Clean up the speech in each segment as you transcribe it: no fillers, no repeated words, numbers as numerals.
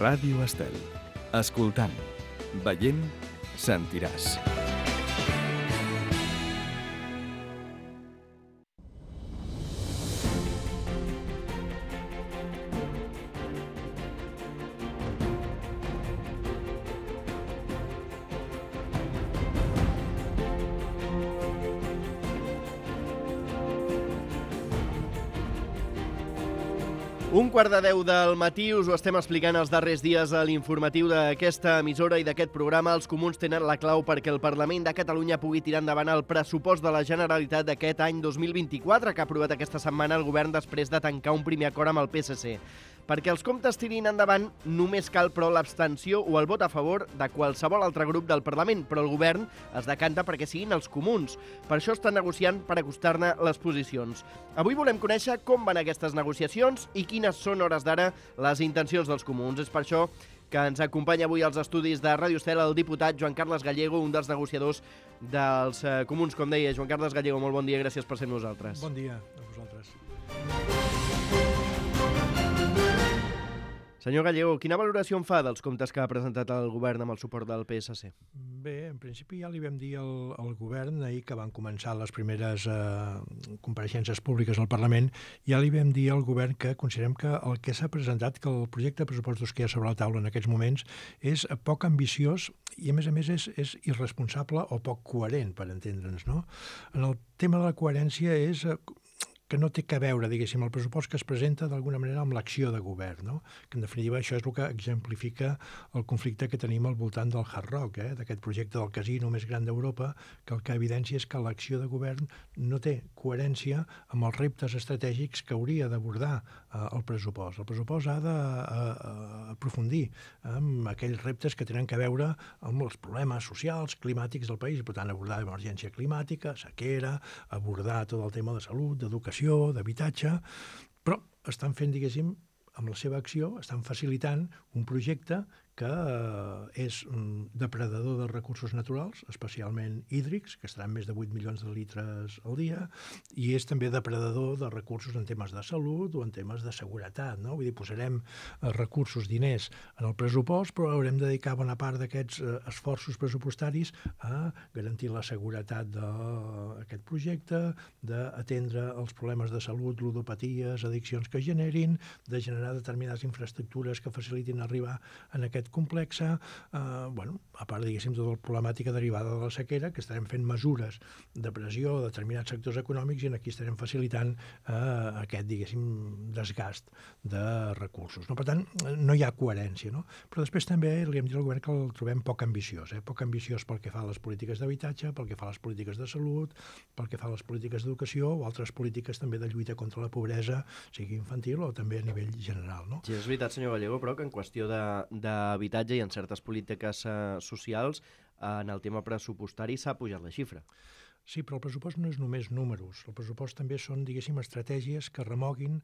Ràdio Estel. Escoltant, veient, sentiràs. Un quart de 10 del matí us ho estem explicant els darrers dies a l'informatiu d'aquesta emissora i d'aquest programa. Els comuns tenen la clau perquè el Parlament de Catalunya pugui tirar endavant el pressupost de la Generalitat d'aquest any 2024 que ha aprovat aquesta setmana el govern després de tancar un primer acord amb el PSC. Perquè els comptes tirin endavant només cal, però, l'abstenció o el vot a favor de qualsevol altre grup del Parlament, però el govern es decanta perquè siguin els comuns. Per això estan negociant per acostar-ne les posicions. Avui volem conèixer com van aquestes negociacions i quines són, hores d'ara, les intencions dels comuns. És per això que ens acompanya avui als estudis de Ràdio Estel el diputat Joan Carles Gallego, un dels negociadors dels comuns, com deia. Joan Carles Gallego, molt bon dia, gràcies per ser amb nosaltres. Bon dia a vosaltres. Senyor Gallego, quina valoració en fa dels comptes que ha presentat el govern amb el suport del PSC? Bé, en principi ja li vam dir al govern ahir que van començar les primeres compareixences públiques al Parlament, ja li vam dir al govern que considerem que el que s'ha presentat, que el projecte de pressupostos que hi ha sobre la taula en aquests moments és poc ambiciós i a més és irresponsable o poc coherent, per entendre'ns, no? En el tema de la coherència és que no té que veure, diguéssim, el pressupost que es presenta d'alguna manera amb l'acció de govern, no? Que en definitiva això és el que exemplifica el conflicte que tenim al voltant del Hard Rock, d'aquest projecte del casino més gran d'Europa, que el que evidencia és que l'acció de govern no té coherència amb els reptes estratègics que hauria d'abordar el pressupost. El pressupost ha d'aprofundir en aquells reptes que tenen que veure amb els problemes socials, climàtics del país, i per tant abordar l'emergència climàtica, sequera, abordar tot el tema de salut, d'educació, d'habitatge, però estan fent, diguéssim, amb la seva acció, estan facilitant un projecte que és depredador de recursos naturals, especialment hídrics, que estaran més de 8 milions de litres al dia, i és també depredador de recursos en temes de salut o en temes de seguretat, no? Vull dir, posarem recursos, diners en el pressupost, però haurem de dedicar bona part d'aquests esforços pressupostaris a garantir la seguretat d'aquest projecte, d'atendre els problemes de salut, ludopaties, addiccions que generin, de generar determinades infraestructures que facilitin arribar en aquest complexa, a part, diguéssim, tota la problemàtica derivada de la sequera, que estarem fent mesures de pressió a determinats sectors econòmics i aquí estarem facilitant aquest, diguéssim, desgast de recursos. No? Per tant, no hi ha coherència. No? Però després també li hem dit al govern que el trobem poc ambiciós. Poc ambiciós pel que fa a les polítiques d'habitatge, pel que fa a les polítiques de salut, pel que fa a les polítiques d'educació o altres polítiques també de lluita contra la pobresa, sigui infantil o també a nivell general. No? Sí, és veritat, senyor Gallego, però que en qüestió d'habitatge i en certes polítiques socials, en el tema pressupostari s'ha pujat la xifra. Sí, però el pressupost no és només números. El pressupost també són, diguéssim, estratègies que remoguin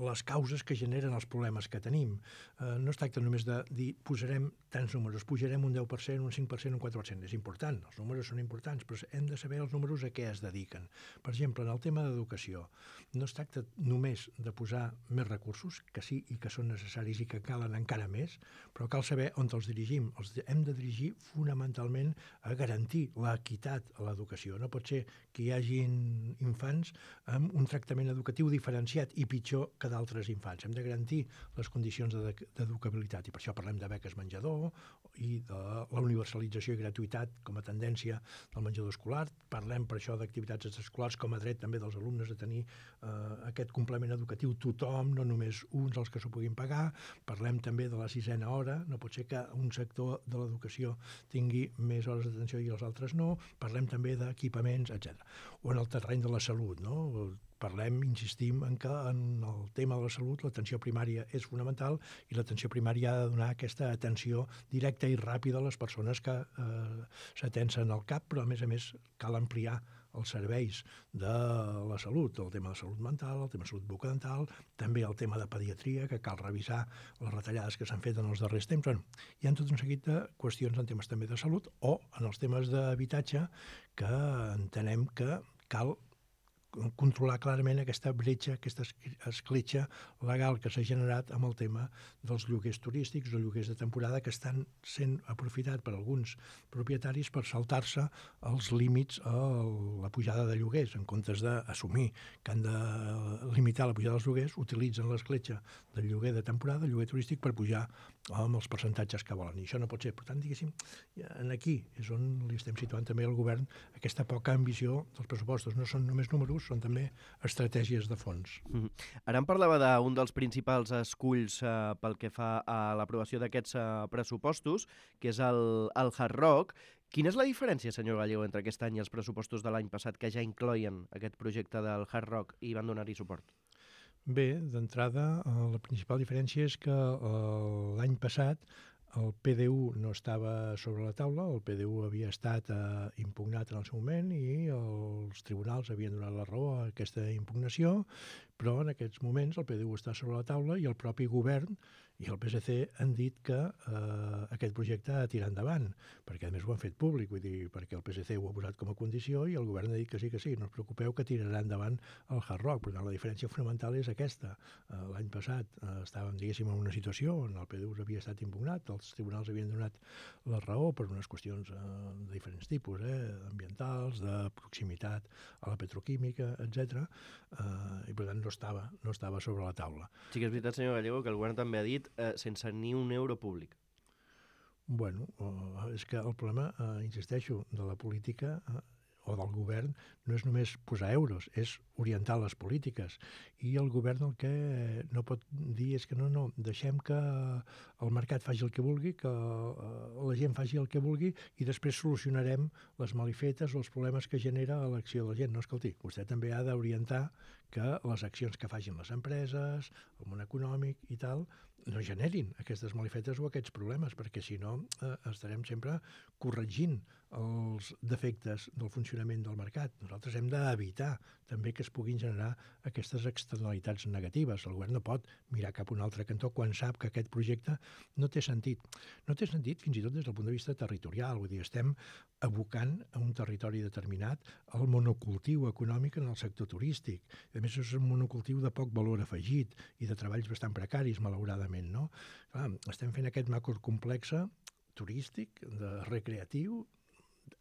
les causes que generen els problemes que tenim. No es tracta només de dir posarem tants números, pujarem un 10%, un 5%, un 4%. És important, els números són importants, però hem de saber els números a què es dediquen. Per exemple, en el tema d'educació, no es tracta només de posar més recursos, que sí i que són necessaris i que calen encara més, però cal saber on els dirigim. Els hem de dirigir fonamentalment a garantir l'equitat a l'educació. No pot ser que hi hagin infants amb un tractament educatiu diferenciat i pitjor que d'altres infants. Hem de garantir les condicions d'educabilitat i per això parlem de beques menjador i de la universalització i gratuïtat com a tendència del menjador escolar. Parlem per això d'activitats extraescolars com a dret també dels alumnes a tenir aquest complement educatiu tothom, no només uns els que s'ho puguin pagar. Parlem també de la 6a hora. No pot ser que un sector de l'educació tingui més hores d'atenció i els altres no. Parlem també d'equipaments, etc. O en el terreny de la salut, no? Parlem, insistim, en que en el tema de la salut l'atenció primària és fonamental i l'atenció primària ha de donar aquesta atenció directa i ràpida a les persones que s'atensen al CAP, però a més cal ampliar els serveis de la salut, el tema de salut mental, el tema de salut bucodental, també el tema de pediatria, que cal revisar les retallades que s'han fet en els darrers temps. Bueno, hi ha tot un seguit de qüestions en temes també de salut o en els temes d'habitatge que entenem que cal controlar clarament aquesta bretxa, aquesta escletxa legal que s'ha generat amb el tema dels lloguers turístics o lloguers de temporada que estan sent aprofitats per alguns propietaris per saltar-se els límits a la pujada de lloguers. En comptes d'assumir que han de limitar la pujada dels lloguers, utilitzen l'escletxa del lloguer de temporada, el lloguer turístic, per pujar amb els percentatges que volen. I això no pot ser. Per tant, diguéssim, aquí és on li estem situant també al govern aquesta poca ambició dels pressupostos. No són només números, són també estratègies de fons. Ara em parlava d'un dels principals esculls pel que fa a l'aprovació d'aquests pressupostos, que és el Hard Rock. Quina és la diferència, senyor Gallego, entre aquest any i els pressupostos de l'any passat, que ja incloïen aquest projecte del Hard Rock i van donar-hi suport? Bé, d'entrada, la principal diferència és que l'any passat el PDU no estava sobre la taula, el PDU havia estat impugnat en el seu moment i els tribunals havien donat la raó a aquesta impugnació, però en aquests moments el PDU està sobre la taula i el propi govern i el PSC han dit que aquest projecte ha de tirar endavant, perquè a més ho han fet públic, vull dir, perquè el PSC ho ha posat com a condició i el govern ha dit que sí, no us preocupeu que tirarà endavant el Hard Rock. Per tant, la diferència fonamental és aquesta. L'any passat estàvem, diguéssim, en una situació on el PDU havia estat impugnat, els tribunals havien donat la raó per unes qüestions de diferents tipus, ambientals, de proximitat a la petroquímica, etc. I per tant no estava sobre la taula. Sí que és veritat, senyor Gallego, que el govern també ha dit sense ni un euro públic. Bueno, és que el problema, insisteixo, de la política o del govern no és només posar euros, és orientar les polítiques. I el govern el que no pot dir és que no, deixem que el mercat faci el que vulgui, que la gent faci el que vulgui i després solucionarem les malifetes o els problemes que genera l'acció de la gent. No, escolti, vostè també ha d'orientar que les accions que facin les empreses, el món econòmic i tal, no generin aquestes malifetes o aquests problemes, perquè si no estarem sempre corregint els defectes del funcionament del mercat. Nosaltres hem d'evitar també que es puguin generar aquestes externalitats negatives. El govern no pot mirar cap a un altre cantó quan sap que aquest projecte no té sentit. No té sentit fins i tot des del punt de vista territorial. Vull dir, estem abocant a un territori determinat el monocultiu econòmic en el sector turístic. A més, és un monocultiu de poc valor afegit i de treballs bastant precaris, malauradament, no? Clar, estem fent aquest macrocomplex turístic, recreatiu,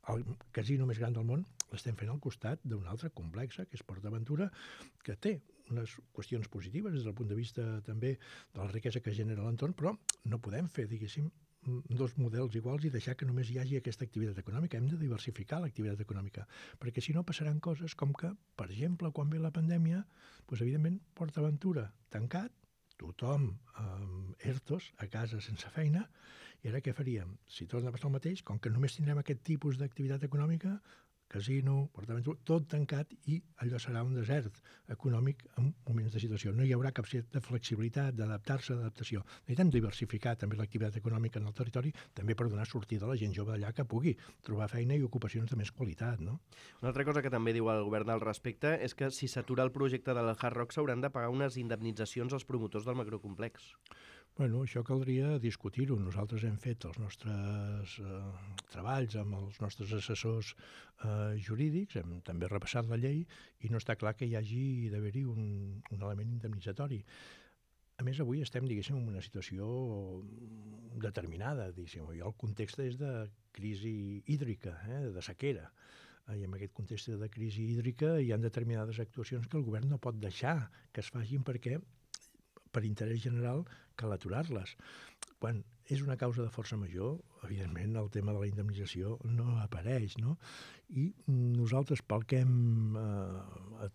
el casino més gran del món, l'estem fent al costat d'un altre complex, que és Port Aventura, que té unes qüestions positives des del punt de vista també de la riquesa que genera l'entorn, però no podem fer, diguéssim, dos models iguals i deixar que només hi hagi aquesta activitat econòmica. Hem de diversificar l'activitat econòmica, perquè si no passaran coses com que, per exemple, quan ve la pandèmia, doncs, evidentment, Port Aventura tancat, tothom amb ERTOs a casa sense feina, i ara què faríem? Si torna a passar el mateix, com que només tindrem aquest tipus d'activitat econòmica, casino, Port Aventura, tot tancat i allò serà un desert econòmic en moments de situació. No hi haurà cap de flexibilitat, d'adaptar-se, d'adaptació. Necessitem diversificar també l'activitat econòmica en el territori, també per donar sortida a la gent jove d'allà que pugui trobar feina i ocupacions de més qualitat, no? Una altra cosa que també diu el govern al respecte és que si s'atura el projecte del Hard Rock s'hauran de pagar unes indemnitzacions als promotors del macrocomplex. Bueno, això caldria discutir-ho. Nosaltres hem fet els nostres treballs amb els nostres assessors jurídics, hem també repassat la llei i no està clar que hi hagi d'haver-hi un element indemnitzatori. A més, avui estem, diguéssim, en una situació determinada, diguéssim, i el context és de crisi hídrica, de sequera. I en aquest context de crisi hídrica hi ha determinades actuacions que el govern no pot deixar que es facin perquè per interès general cal aturar-les. Quan és una causa de força major, evidentment el tema de la indemnització no apareix, no? I nosaltres, pel que hem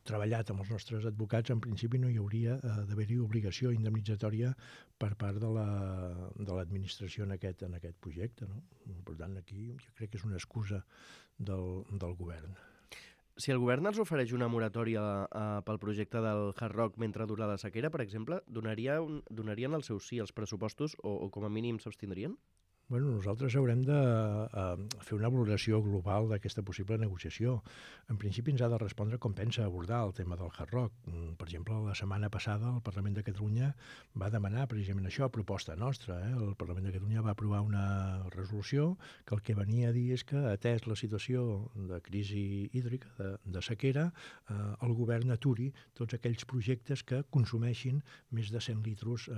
treballat amb els nostres advocats, en principi no hi hauria d'haver-hi obligació indemnitzatòria per part de l'administració en aquest projecte, no? Per tant, aquí jo crec que és una excusa del govern. Si el govern els ofereix una moratòria pel projecte del Hard Rock mentre dura la sequera, per exemple, donarien el seu sí als pressupostos o com a mínim s'abstindrien? Bueno, nosaltres haurem de fer una valoració global d'aquesta possible negociació. En principi ens ha de respondre com pensa abordar el tema del Hard Rock. Per exemple, la setmana passada el Parlament de Catalunya va demanar precisament això, a proposta nostra. El Parlament de Catalunya va aprovar una resolució que el que venia a dir és que, atès la situació de crisi hídrica, de sequera, el govern aturi tots aquells projectes que consumeixin més de 100 litres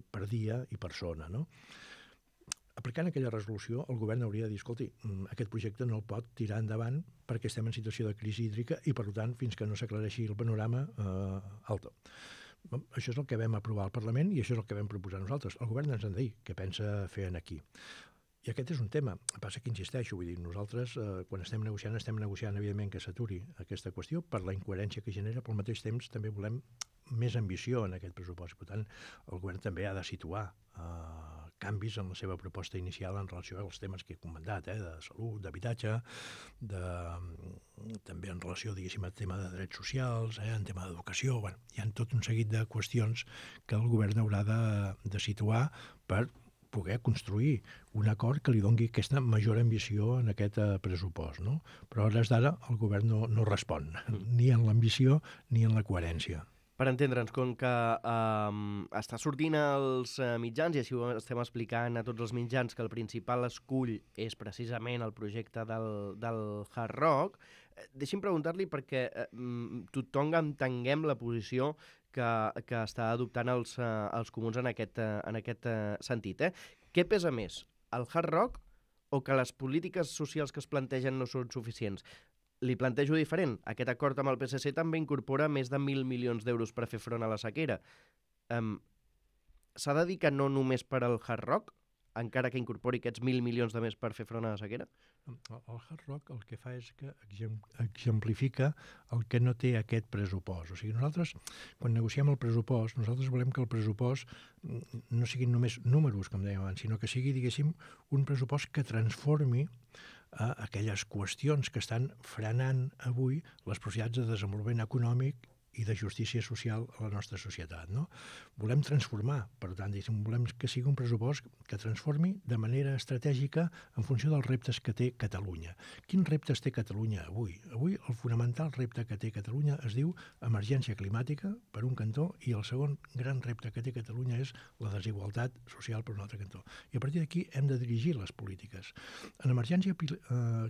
per dia i persona, no? Aplicant aquella resolució, el govern hauria de dir, escolti, aquest projecte no el pot tirar endavant perquè estem en situació de crisi hídrica i, per tant, fins que no s'aclareixi el panorama, alto. Això és el que vam aprovar al Parlament i això és el que vam proposar nosaltres. El govern ens ha de dir què pensa fer aquí. I aquest és un tema. Passa que insisteixo, vull dir, nosaltres, quan estem negociant, evidentment, que s'aturi aquesta qüestió per la incoherència que genera, però al mateix temps també volem més ambició en aquest pressupost. Per tant, el govern també ha de situar canvis en la seva proposta inicial en relació als temes que he comentat, de salut, d'habitatge, també en relació, diguéssim, al tema de drets socials, en tema d'educació. Bueno, hi ha tot un seguit de qüestions que el govern haurà de situar per poder construir un acord que li doni aquesta major ambició en aquest pressupost, no? Però a hores d'ara el govern no respon, ni en l'ambició ni en la coherència. Per entendre'ns, com que està sortint als mitjans, i així ho estem explicant a tots els mitjans, que el principal escull és precisament el projecte del Hard Rock, deixi'm preguntar-li perquè tothom entenguem la posició que està adoptant els comuns en aquest sentit. Què pesa més, el Hard Rock o que les polítiques socials que es plantegen no són suficients? Li plantejo diferent. Aquest acord amb el PSC també incorpora més de 1.000 milions d'euros per fer front a la sequera. S'ha de dir que no només per al Hard Rock, encara que incorpori aquests 1.000 milions de més per fer front a la sequera? El Hard Rock el que fa és que exemplifica el que no té aquest pressupost. O sigui, nosaltres, quan negociem el pressupost, nosaltres volem que el pressupost no siguin només números, com dèiem abans, sinó que sigui, diguéssim, un pressupost que transformi aquelles qüestions que estan frenant avui les possibilitats de desenvolupament econòmic i de justícia social a la nostra societat, no? Volem transformar, per tant, volem que sigui un pressupost que transformi de manera estratègica en funció dels reptes que té Catalunya. Quins reptes té Catalunya avui? Avui el fonamental repte que té Catalunya es diu emergència climàtica, per un cantó, i el segon gran repte que té Catalunya és la desigualtat social per un altre cantó. I a partir d'aquí hem de dirigir les polítiques. En emergència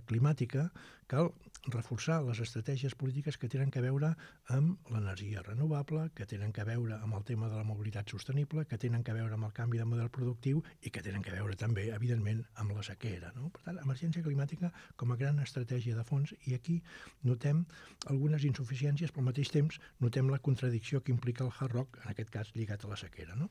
climàtica cal reforçar les estratègies polítiques que tenen a veure amb l'energia renovable, que tenen a veure amb el tema de la mobilitat sostenible, que tenen a veure amb el canvi de model productiu i que tenen a veure també, evidentment, amb la sequera, no? Per tant, emergència climàtica com a gran estratègia de fons, i aquí notem algunes insuficiències, però al mateix temps notem la contradicció que implica el Hard Rock, en aquest cas lligat a la sequera, no?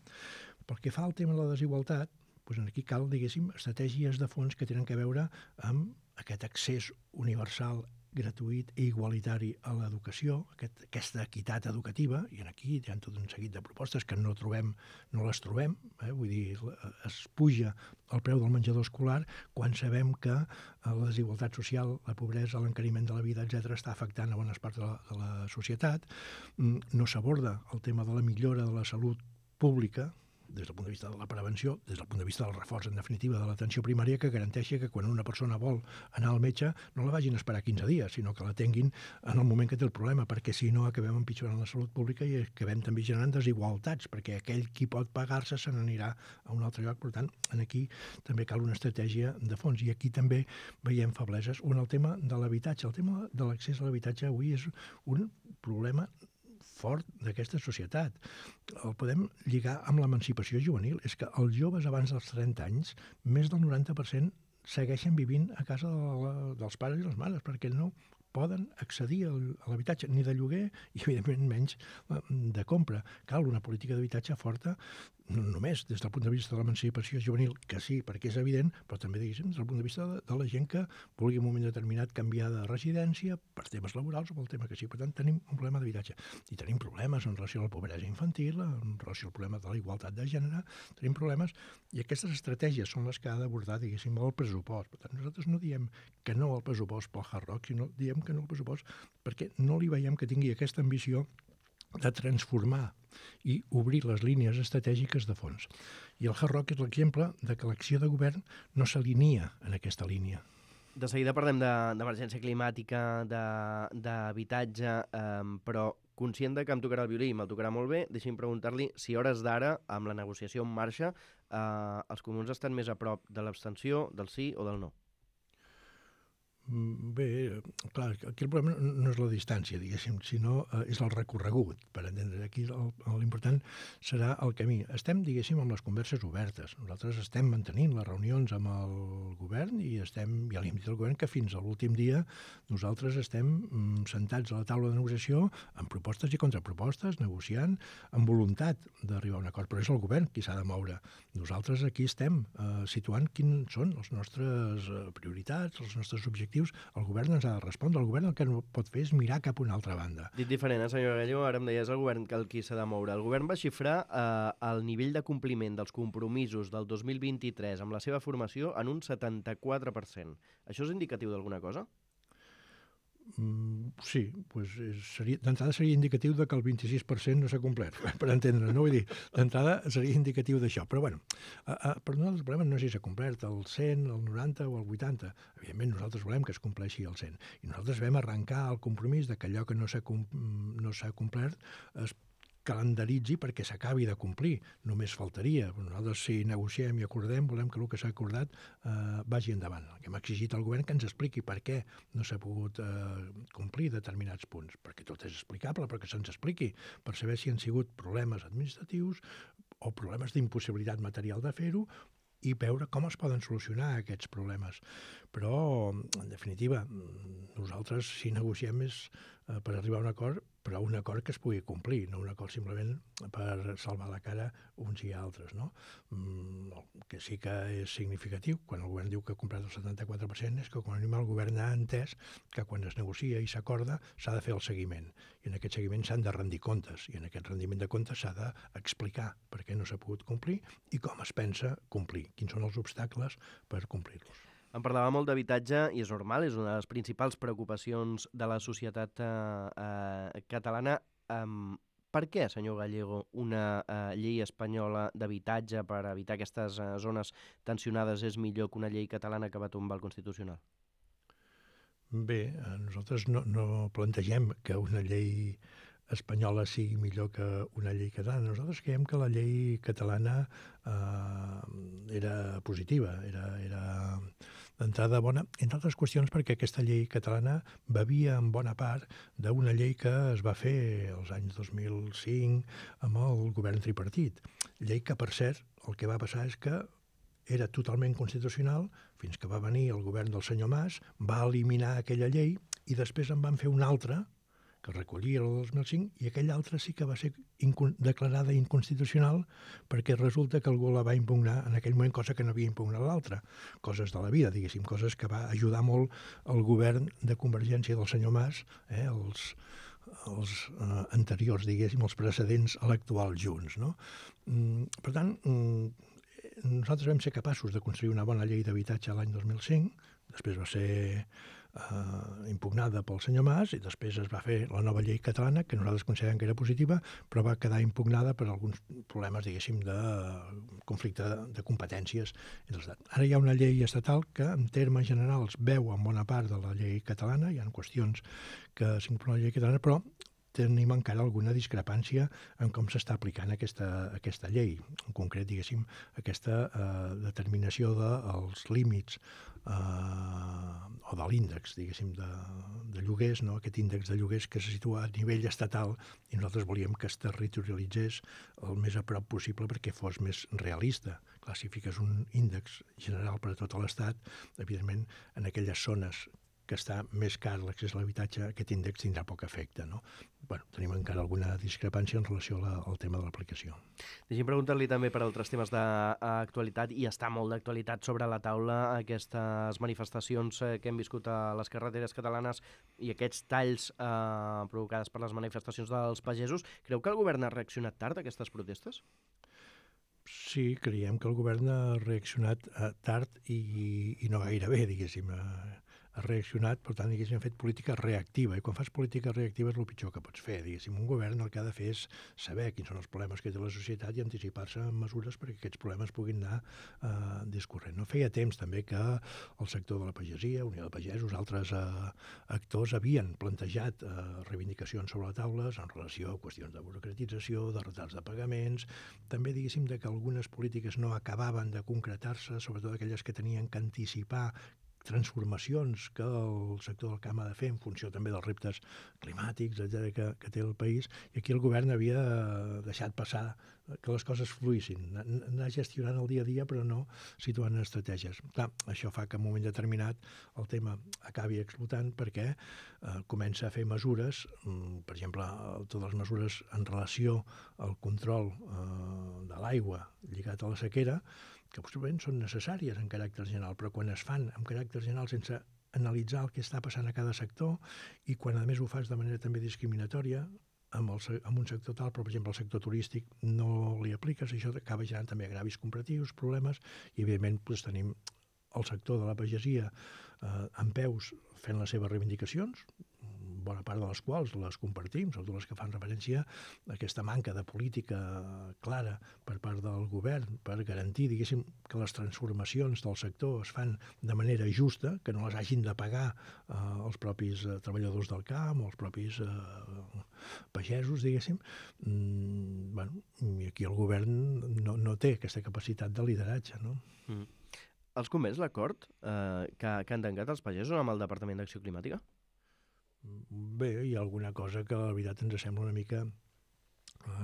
Pel que fa al tema de la desigualtat, doncs aquí cal, diguéssim, estratègies de fons que tenen a veure amb aquest accés universal, gratuït i igualitari a l'educació, aquesta equitat educativa, i aquí hi ha tot un seguit de propostes que no les trobem, vull dir, es puja el preu del menjador escolar quan sabem que la desigualtat social, la pobresa, l'encariment de la vida, etc., està afectant a bones parts de la societat. No s'aborda el tema de la millora de la salut pública, des del punt de vista de la prevenció, des del punt de vista del reforç, en definitiva, de l'atenció primària, que garanteixi que quan una persona vol anar al metge no la vagin a esperar 15 dies, sinó que l'atenguin en el moment que té el problema, perquè si no acabem empitjorant la salut pública i acabem també generant desigualtats, perquè aquell qui pot pagar-se se n'anirà a un altre lloc. Per tant, aquí també cal una estratègia de fons, i aquí també veiem febleses. El tema de l'habitatge. El tema de l'accés a l'habitatge avui és un problema fort d'aquesta societat. El podem lligar amb l'emancipació juvenil. És que els joves abans dels 30 anys, més del 90% segueixen vivint a casa dels pares i les mares, perquè no poden accedir a l'habitatge, ni de lloguer i, evidentment, menys de compra. Cal una política d'habitatge forta, no només des del punt de vista de l'emancipació juvenil, que sí, perquè és evident, però també, diguéssim, des del punt de vista de la gent que vulgui en un moment determinat canviar de residència per temes laborals o pel tema que sí. Per tant, tenim un problema d'habitatge. I tenim problemes en relació a la pobresa infantil, en relació al problema de la igualtat de gènere, tenim problemes, i aquestes estratègies són les que ha d'abordar, diguéssim, el pressupost. Per tant, nosaltres no diem que no al pressupost pel Hard Rock, sinó diem que no al pressupost perquè no li veiem que tingui aquesta ambició de transformar i obrir les línies estratègiques de fons. I el Hard Rock és l'exemple de que l'acció de govern no s'alinea en aquesta línia. De seguida parlem d'emergència climàtica, d'habitatge, però conscient de que em tocarà el violí i me'l tocarà molt bé, deixi'm preguntar-li si a hores d'ara, amb la negociació en marxa, els comuns estan més a prop de l'abstenció, del sí o del no? Bé, clar, aquí el problema no és la distància, diguéssim, sinó és el recorregut, per entendre. Aquí l'important serà el camí. Estem, diguéssim, amb les converses obertes. Nosaltres estem mantenint les reunions amb el govern i ja li hem dit al govern que fins a l'últim dia nosaltres estem sentats a la taula de negociació amb propostes i contrapropostes, negociant, amb voluntat d'arribar a un acord. Però és el govern qui s'ha de moure. Nosaltres aquí estem situant quins són les nostres prioritats, els nostres objectius. El govern ens ha de respondre. El govern el que no pot fer és mirar cap a una altra banda. Dit diferent, senyor Gallego, ara em deies el govern que el qui s'ha de moure. El govern va xifrar el nivell de compliment dels compromisos del 2023 amb la seva formació en un 74%. Això és indicatiu d'alguna cosa? Sí, d'entrada seria indicatiu de que el 26% no s'ha complert, per entendre, no? Vull dir, d'entrada seria indicatiu d'això. Però, bueno, per nosaltres el problema no és si s'ha complert el 100, el 90 o el 80. Evidentment, nosaltres volem que es compleixi el 100. I nosaltres vam arrencar el compromís de que allò que no s'ha complert es calendaritzi perquè s'acabi de complir. Només faltaria. Nosaltres, si negociem i acordem, volem que el que s'ha acordat vagi endavant. El que hem exigit al govern que ens expliqui per què no s'ha pogut complir determinats punts. Perquè tot és explicable, però que se'ns expliqui per saber si han sigut problemes administratius o problemes d'impossibilitat material de fer-ho i veure com es poden solucionar aquests problemes. Però, en definitiva, nosaltres, si negociem, és per arribar a un acord, però un acord que es pugui complir, no un acord simplement per salvar la cara uns i altres, no? El que sí que és significatiu, quan el govern diu que ha comprat el 74%, és que com a mínim el govern ha entès que quan es negocia i s'acorda s'ha de fer el seguiment. I en aquest seguiment s'han de rendir comptes, i en aquest rendiment de comptes s'ha d'explicar per què no s'ha pogut complir i com es pensa complir, quins són els obstacles per complir-los. En parlava molt d'habitatge i és normal, és una de les principals preocupacions de la societat catalana. Per què, senyor Gallego, una llei espanyola d'habitatge per evitar aquestes zones tensionades és millor que una llei catalana que va tombar el Constitucional? Bé, nosaltres no plantegem que una llei espanyola sigui millor que una llei catalana. Nosaltres creiem que la llei catalana era positiva, era d'entrada bona, entre altres qüestions perquè aquesta llei catalana bevia en bona part d'una llei que es va fer als anys 2005 amb el govern tripartit. Llei que, per cert, el que va passar és que era totalment constitucional fins que va venir el govern del senyor Mas, va eliminar aquella llei i després en van fer una altra que recollia el 2005, i aquella altra sí que va ser declarada inconstitucional perquè resulta que algú la va impugnar en aquell moment, cosa que no havia impugnat l'altra. Coses de la vida, diguéssim, coses que va ajudar molt el govern de Convergència del senyor Mas, els anteriors, diguéssim, els precedents a l'actual Junts, no? Per tant, nosaltres vam ser capaços de construir una bona llei d'habitatge l'any 2005, després va ser impugnada pel senyor Mas i després es va fer la nova llei catalana, que nosaltres considerem que era positiva, però va quedar impugnada per alguns problemes, diguéssim, de conflicte de competències entre l'Estat. Ara hi ha una llei estatal que, en termes generals, beu en bona part de la llei catalana, hi ha qüestions que s'inclouen a la llei catalana, però tenim encara alguna discrepància en com s'està aplicant aquesta llei. En concret, diguéssim, aquesta determinació dels límits o de l'índex, diguéssim, de lloguers, no? Aquest índex de lloguers que se situa a nivell estatal i nosaltres volíem que es territorialitzés el més a prop possible perquè fos més realista. Clar, si fiques un índex general per a tot l'Estat, evidentment, en aquelles zones que està més car l'accés a l'habitatge, aquest índex tindrà poc efecte, no? Bueno, tenim encara alguna discrepància en relació al tema de l'aplicació. Deixi'm preguntar-li també per altres temes d'actualitat, i està molt d'actualitat sobre la taula aquestes manifestacions que hem viscut a les carreteres catalanes i aquests talls provocades per les manifestacions dels pagesos. Creu que el govern ha reaccionat tard a aquestes protestes? Sí, creiem que el govern ha reaccionat tard i no gaire bé, diguéssim. ha reaccionat, per tant, diguéssim, ha fet política reactiva. I quan fas política reactiva és el pitjor que pots fer. Diguéssim, un govern el que ha de fer és saber quins són els problemes que té la societat i anticipar-se en mesures perquè aquests problemes puguin anar discorrent. No feia temps també que el sector de la pagesia, Unió de Pagesos, altres actors havien plantejat reivindicacions sobre la taula en relació a qüestions de burocratització, de retards de pagaments, també, diguéssim, de que algunes polítiques no acabaven de concretar-se, sobretot aquelles que tenien que anticipar transformacions que el sector del camp ha de fer en funció també dels reptes climàtics, etcètera, que té el país, i aquí el govern havia deixat passar que les coses fluïssin, anar gestionant el dia a dia però no situant estratègies. Clar, això fa que en un moment determinat el tema acabi explotant perquè comença a fer mesures, per exemple, totes les mesures en relació al control de l'aigua lligat a la sequera, que possiblement són necessàries en caràcter general, però quan es fan en caràcter general sense analitzar el que està passant a cada sector i quan a més ho fas de manera també discriminatòria amb un sector tal, però per exemple el sector turístic no li apliques, això acaba generant també agravis comparatius, problemes, i evidentment doncs, tenim el sector de la pagesia en peus fent les seves reivindicacions, bona part de les quals les compartim, sobretot les que fan referència a aquesta manca de política clara per part del govern per garantir, diguéssim, que les transformacions del sector es fan de manera justa, que no les hagin de pagar els propis treballadors del camp o els propis pagesos, diguéssim. I aquí el govern no té aquesta capacitat de lideratge, no? Els convenç l'acord que han tancat els pagesos amb el Departament d'Acció Climàtica? Bé, hi ha alguna cosa que la veritat ens sembla una mica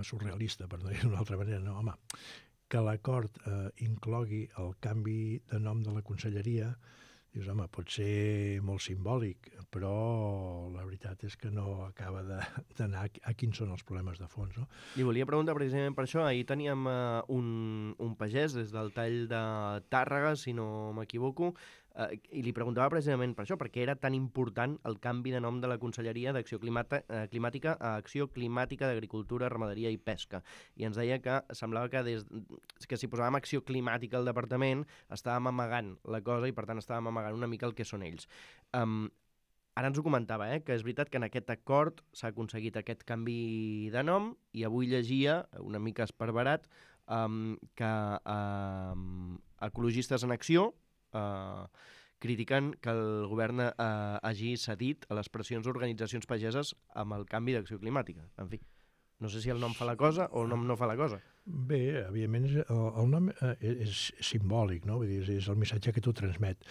surrealista, per no dir d'una altra manera. No, home, que l'acord inclogui el canvi de nom de la conselleria, dius, home, pot ser molt simbòlic, però la veritat és que no acaba d'anar a quins són els problemes de fons, no? Li volia preguntar precisament per això. Ahir teníem un pagès des del tall de Tàrrega, si no m'equivoco, i li preguntava precisament per això, perquè era tan important el canvi de nom de la Conselleria d'Acció Climàtica a Acció Climàtica d'Agricultura, Ramaderia i Pesca. I ens deia que semblava que si posàvem Acció Climàtica al departament estàvem amagant la cosa i per tant estàvem amagant una mica el que són ells. Ara ens ho comentava, que és veritat que en aquest acord s'ha aconseguit aquest canvi de nom i avui llegia, una mica esparverat, que Ecologistes en Acció critiquen que el govern hagi cedit a les pressions d'organitzacions pageses amb el canvi d'acció climàtica. En fi, no sé si el nom fa la cosa o el nom no fa la cosa. Bé, evidentment el nom és simbòlic, no? Vull dir, és el missatge que tu transmet.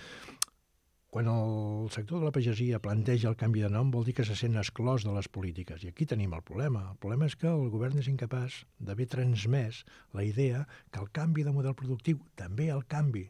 Quan el sector de la pagesia planteja el canvi de nom vol dir que se sent exclòs de les polítiques. I aquí tenim el problema. El problema és que el govern és incapaç d'haver transmès la idea que el canvi de model productiu, també el canvi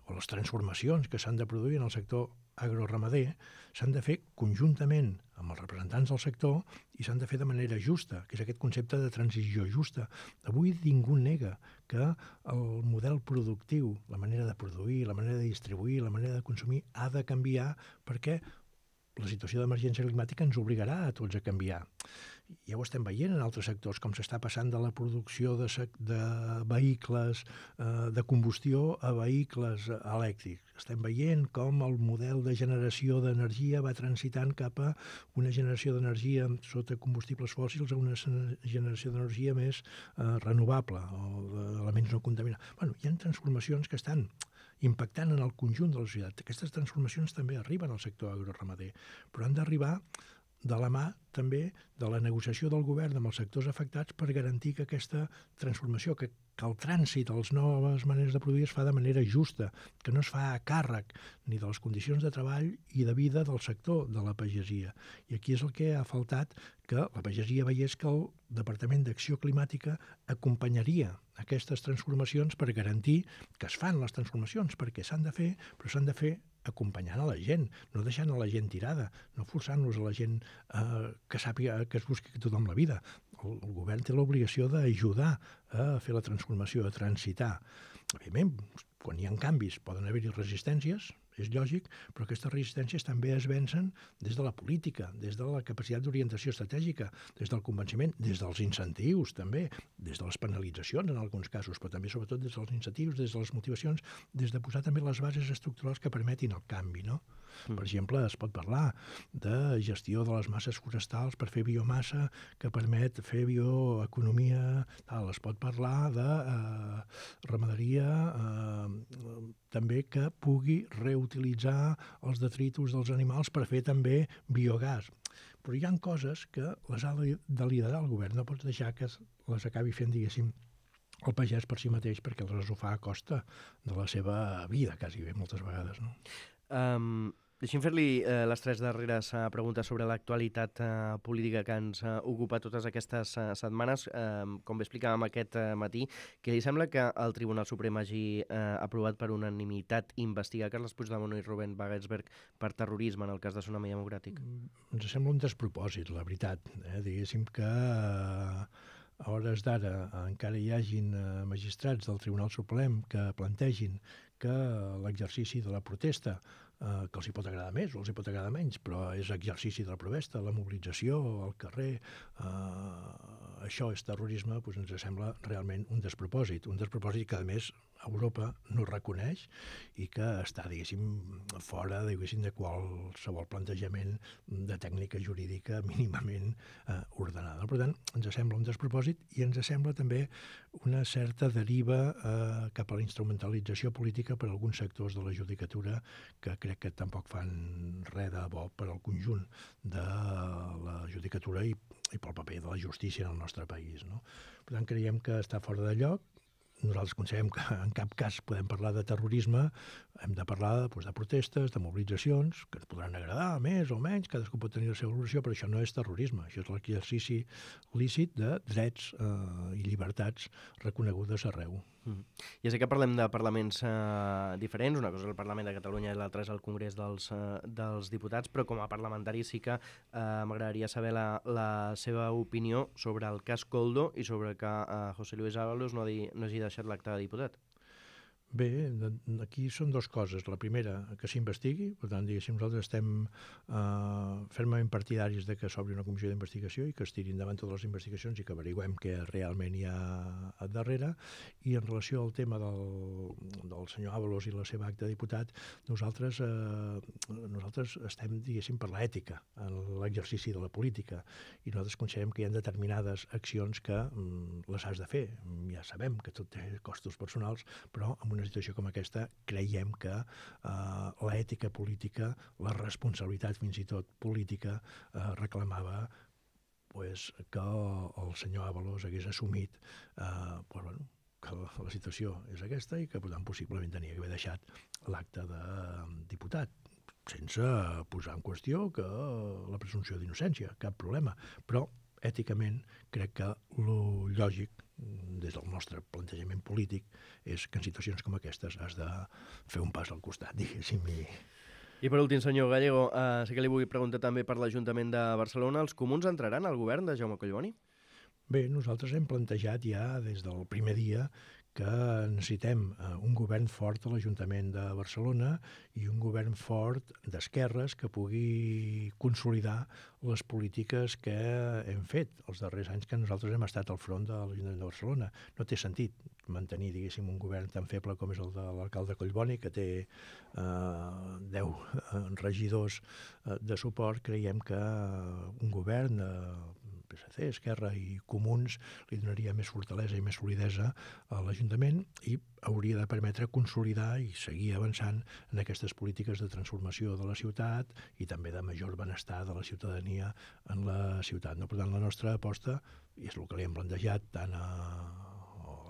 o les transformacions que s'han de produir en el sector agroramader s'han de fer conjuntament amb els representants del sector i s'han de fer de manera justa, que és aquest concepte de transició justa. Avui ningú nega que el model productiu, la manera de produir, la manera de distribuir, la manera de consumir ha de canviar perquè la situació d'emergència climàtica ens obligarà a tots a canviar. Ja ho estem veient en altres sectors, com s'està passant de la producció de vehicles de combustió a vehicles elèctrics. Estem veient com el model de generació d'energia va transitant cap a una generació d'energia sota combustibles fòssils a una generació d'energia més renovable o d'elements no contaminants. Bueno, hi ha transformacions que estan impactant en el conjunt de la societat. Aquestes transformacions també arriben al sector agroramader, però han d'arribar de la mà també de la negociació del govern amb els sectors afectats per garantir que aquesta transformació, que el trànsit a les noves maneres de produir es fa de manera justa, que no es fa a càrrec ni de les condicions de treball i de vida del sector de la pagesia. I aquí és el que ha faltat, que la pagesia veiés que el Departament d'Acció Climàtica acompanyaria aquestes transformacions per garantir que es fan les transformacions, perquè s'han de fer, però s'han de fer acompanyant a la gent, no deixant a la gent tirada, no forçant-los a la gent que sàpiga que es busqui tothom la vida. El govern té l'obligació d'ajudar a fer la transformació, a transitar. Evidentment, quan hi ha canvis poden haver-hi resistències, és lògic, però aquestes resistències també es vencen des de la política, des de la capacitat d'orientació estratègica, des del convenciment, des dels incentius també, des de les penalitzacions en alguns casos, però també sobretot des dels incentius, des de les motivacions, des de posar també les bases estructurals que permetin el canvi, no? Per exemple, es pot parlar de gestió de les masses forestals per fer biomassa que permet fer bioeconomia, es pot parlar de ramaderia també que pugui reutilitzar els detritus dels animals per fer també biogàs. Però hi ha coses que les ha de liderar el govern, no pots deixar que les acabi fent, diguéssim, el pagès per si mateix, perquè aleshores ho fa a costa de la seva vida, quasi bé, moltes vegades, no? Deixem fer-li les tres darreres preguntes sobre l'actualitat política que ens ocupa totes aquestes setmanes. Com bé explicàvem aquest matí, que li sembla que el Tribunal Suprem hagi aprovat per unanimitat investigar Carles Puigdemont i Ruben Wagensberg per terrorisme en el cas de Tsunami Democràtic? Ens sembla un despropòsit, la veritat. Diguéssim que a hores d'ara encara hi hagin magistrats del Tribunal Suprem que plantegin que l'exercici de la protesta, que els hi pot agradar més o els hi pot agradar menys, però és exercici de la protesta, la mobilització al carrer, això és terrorisme, doncs ens sembla realment un despropòsit que a més Europa no reconeix i que està, diguéssim, fora, diguéssim, de qualsevol plantejament de tècnica jurídica mínimament ordenada. Per tant, ens sembla un despropòsit i ens sembla també una certa deriva cap a la instrumentalització política per alguns sectors de la judicatura que crec que tampoc fan res de bo per al conjunt de la judicatura i pel paper de la justícia en el nostre país, no? Per tant, creiem que està fora de lloc. Nosaltres considerem que en cap cas podem parlar de terrorisme, hem de parlar de protestes, de mobilitzacions, que ens podran agradar més o menys, cadascú pot tenir la seva valoració, però això no és terrorisme, això és l'exercici lícit de drets i llibertats reconegudes arreu. Ja sé que parlem de parlaments diferents, una cosa és el Parlament de Catalunya i l'altra és el Congrés dels Diputats, però com a parlamentari sí que m'agradaria saber la seva opinió sobre el cas Koldo i sobre que José Luis Ábalos no hagi deixat l'acte de diputat. Bé, aquí són dues coses. La primera, que s'investigui, per tant, diguéssim, nosaltres estem fermament partidaris de que s'obri una comissió d'investigació i que es tiri endavant totes les investigacions i que averiguem què realment hi ha a darrere. I en relació al tema del senyor Ábalos i la seva acta de diputat, nosaltres estem, diguéssim, per l'ètica en l'exercici de la política i nosaltres considerem que hi ha determinades accions que les has de fer. Ja sabem que tot té costos personals, però en una situació com aquesta creiem que l'ètica política, la responsabilitat fins i tot política reclamava que el senyor Ábalos hagués assumit que la situació és aquesta i que per tant possiblement tenia que haver deixat l'acte de diputat sense posar en qüestió que la presumpció d'innocència, cap problema, però èticament crec que el lògic des del nostre plantejament polític és que en situacions com aquestes has de fer un pas al costat, diguéssim. I per últim, senyor Gallego, sí que li vull preguntar també per l'Ajuntament de Barcelona. Els comuns entraran al govern de Jaume Collboni? Bé, nosaltres hem plantejat ja des del primer dia que necessitem un govern fort a l'Ajuntament de Barcelona i un govern fort d'esquerres que pugui consolidar les polítiques que hem fet els darrers anys que nosaltres hem estat al front de l'Ajuntament de Barcelona. No té sentit mantenir, diguéssim, un govern tan feble com és el de l'alcalde Collboni, que té 10 regidors de suport. Creiem que un govern PSC, Esquerra i Comuns li donaria més fortalesa i més solidesa a l'Ajuntament i hauria de permetre consolidar i seguir avançant en aquestes polítiques de transformació de la ciutat i també de major benestar de la ciutadania en la ciutat. No? Per tant, la nostra aposta, i és el que li hem plantejat tant a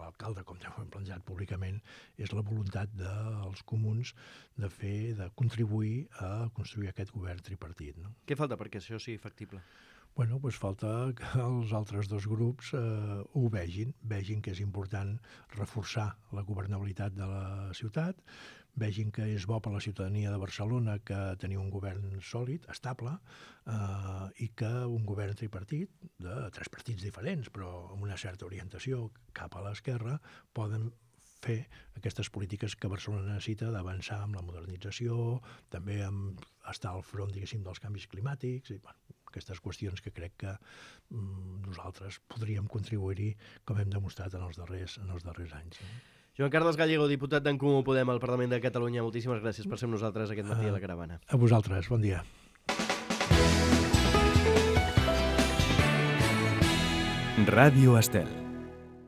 l'alcalde com ja ho hem plantejat públicament, és la voluntat dels comuns de contribuir a construir aquest govern tripartit. No? Què falta perquè això sigui factible? Bueno, doncs falta que els altres dos grups ho vegin que és important reforçar la governabilitat de la ciutat, vegin que és bo per la ciutadania de Barcelona que tenir un govern sòlid, estable, i que un govern tripartit, de 3 partits diferents, però amb una certa orientació cap a l'esquerra, poden fer aquestes polítiques que Barcelona necessita d'avançar amb la modernització, també amb estar al front, diguéssim, dels canvis climàtics, i aquestes qüestions que crec que nosaltres podríem contribuir-hi com hem demostrat en els darrers anys. Joan Carles Gallego, diputat d'en Comú Podem al Parlament de Catalunya, moltíssimes gràcies per ser amb nosaltres aquest matí a la Caravana. A vosaltres, bon dia. Ràdio Estel.